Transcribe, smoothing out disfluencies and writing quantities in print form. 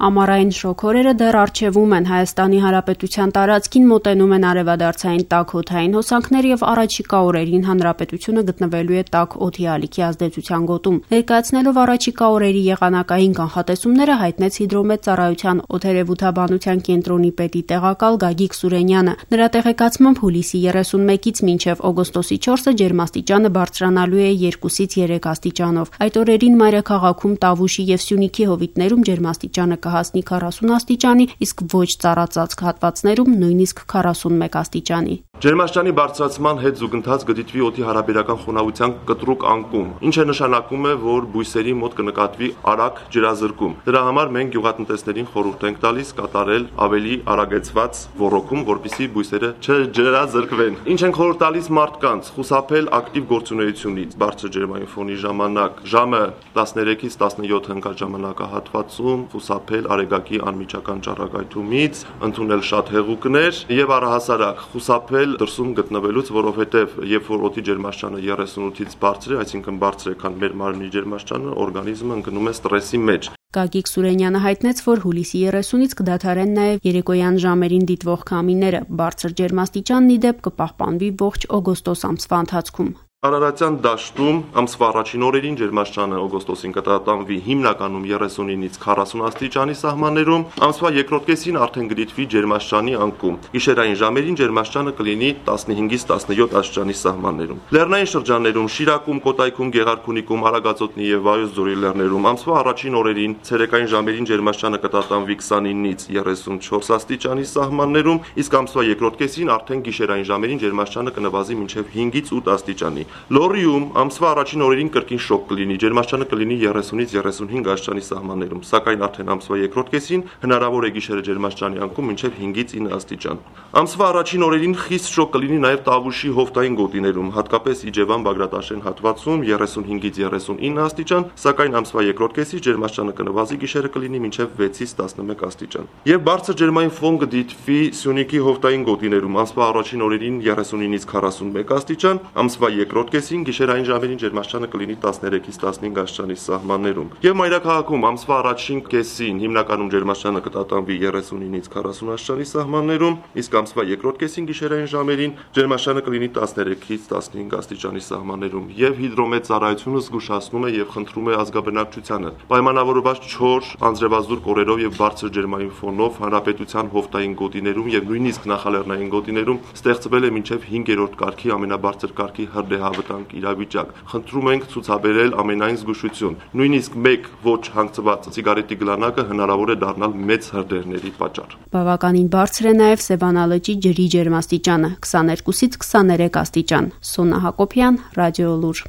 Ամառային շոգ օրերը դեռ առջևում են. Հայաստանի Հանրապետության տարածքին մոտենում են արևադարձային տաք օդային հոսանքներ եւ առաջիկա օրերին հանրապետությունը գտնվելու է տաք օդի ալիքի ազդեցության գոտում։ Ներկայացնելով առաջիկա օրերի եղանակային կանխատեսումները հայտնեց Հիդրոմեծառայության օդերևութաբանության կենտրոնի պետի տեղակալ Գագիկ Սուրենյանը։ Նրա տեղեկացմամբ հուլիսի 31-ից մինչև օգոստոսի 4-ը ջերմաստիճանը բարձրանալու է 2-ից 3 աստիճանով։ Այդ օրերին մայրաքաղաքում, Տավուշի եւ Սյունիքի հովիտներում ջերմաստիճանը կհասնի 40 աստիճանի, իսկ ոչ ծառածածկ հատվածներում նույնիսկ 41 աստիճանի։ Ջերմաստիճանի բարձրացման հետ զուգընթաց կդիտվի օդի հարաբերական խոնավության կտրուկ անկում, ինչը նշանակում է, որ բույսերի մոտ կնկատվի արագ ջրազրկում։ Դրա համար մենք գյուղատնտեսներին խորհուրդ ենք տալիս կատարել ավելի արագեցված ոռոգում, որպեսզի բույսերը չջրազրկվեն։ Ինչ ենք խորհուրդ տալիս մարդկանց՝ խուսափել ակտիվ գործունեությունից բարձր ջերմային ֆոնի ժամանակ, ժամը 13-ից 17 ընկաժամանակահատվածում խուսափել արեգակի անմիջական ճառագայթումից, ընդունել շատ հեղուկներ եւ առհասարակ խուսափել դրսում գտնվելուց, որովհետեւ երբ որ օդի ջերմաստիճանը 38-ից բարձր է, այսինքն բարձր է, քան մեր մարմնի ջերմաստիճանը, օրգանիզմը ընկնում է ստրեսի մեջ։ Գագիկ Սուրենյանը հայտնեց, որ հուլիսի 30-ից կդադարեն նաև երեկոյան ժամերին դիտվող քամիները։ Բարձր ջերմաստիճանն ի դեպ կպահպանվի ողջ օգոստոս ամսվա ընթացքում։ Արարատյան դաշտում ամսվա առաջին օրերին ջերմաստիճանը օգոստոսին կտատանվի հիմնականում 39-ից 40 աստիճանի սահմաններում, ամսվա երկրորդ կեսին արդեն կդիտվի ջերմաստիճանի անկում։ Գիշերային ժամերին ջերմաստիճանը կլինի 15-ից 17 աստիճանի սահմաններում։ Լեռնային շրջաններում, Շիրակում, Կոտայքում, Գեղարքունիքում, Արագածոտնի եւ Վայոց ձորի լեռներում ամսվա առաջին օրերին ցերեկային ժամերին ջերմաստիճանը կտատանվի 29-ից 34 աստիճանի սահմաններում, իսկ ամսվա երկրորդ կեսին արդեն գիշերային ժամերին ջերմաստիճանը կնվազի մինչեւ 5-ից 8 աստիճանի։ Լոռիում ամսվա առաջին օրերին կրկին շոկ կլինի, ջերմաստիճանը կլինի 30-ից 35 աստիճանի սահմաններում, սակայն արդեն ամսվա երկրորդ կեսին հնարավոր է գիշերը ջերմաստիճանի անկում մինչև 5-ից 9 աստիճան։ Ամսվա առաջին օրերին խիստ շոկ կլինի նաև Տավուշի հովտային գոտիներում, հատկապես Իջևան-Բագրատաշեն հատվածում 35-ից 39 աստիճան, սակայն ամսվա երկրորդ կեսից ջերմաստիճանը կնվազի, գիշերը կլինի մինչև 6-ից 11 աստիճան։ Եվ բարձր ջերմային ֆոն կդիտվի Սյունիքի հովտային գոտիներում, ամսվա առաջին օրերին 39-ից 41 աստիճան, ամսվա երկրորդ կեսին գիշերային ժամերին ջերմաստիճանը կլինի 13-ից 15 աստիճանի սահմաններում։ Եվ մայրաքաղաքում ամսվա առաջին կեսին հիմնականում ջերմաստիճանը կտատանվի 39-ից 40 աստիճանի սահմաններում, իսկ ամսվա երկրորդ կեսին գիշերային ժամերին ջերմաստիճանը կլինի 13-ից 15 աստիճանի սահմաններում։ Եվ Հիդրոմեծառայությունը զգուշացնում է եւ խնդրում է ազգաբնակչությանը պայմանավորված չոր, անձրևազուրկ օրերով եւ բարձր ջերմային ֆոնով հանրապետության հովտային գոտիներում եւ նույնիսկ նախալեռնային գոտիներում ստեղծվել է մինչեւ 5-րդ կարգի ամենաբարձր կարգի հրդեհավտանգ իրավիճակ։ Խնդրում ենք ցուցաբերել ամենայն զգուշություն։ Նույնիսկ մեկ ոչ հանգցված սիգարետի գլանակը հնարավոր է դառնալ մեծ հրդեհների պատճառ։ Բավականին բարձր է նաև Սևանա լճի ջրի ջերմաստիճանը՝ 22-ից 23 աստիճան։ Սոնա Հակոբյան, Ռադիոլուր։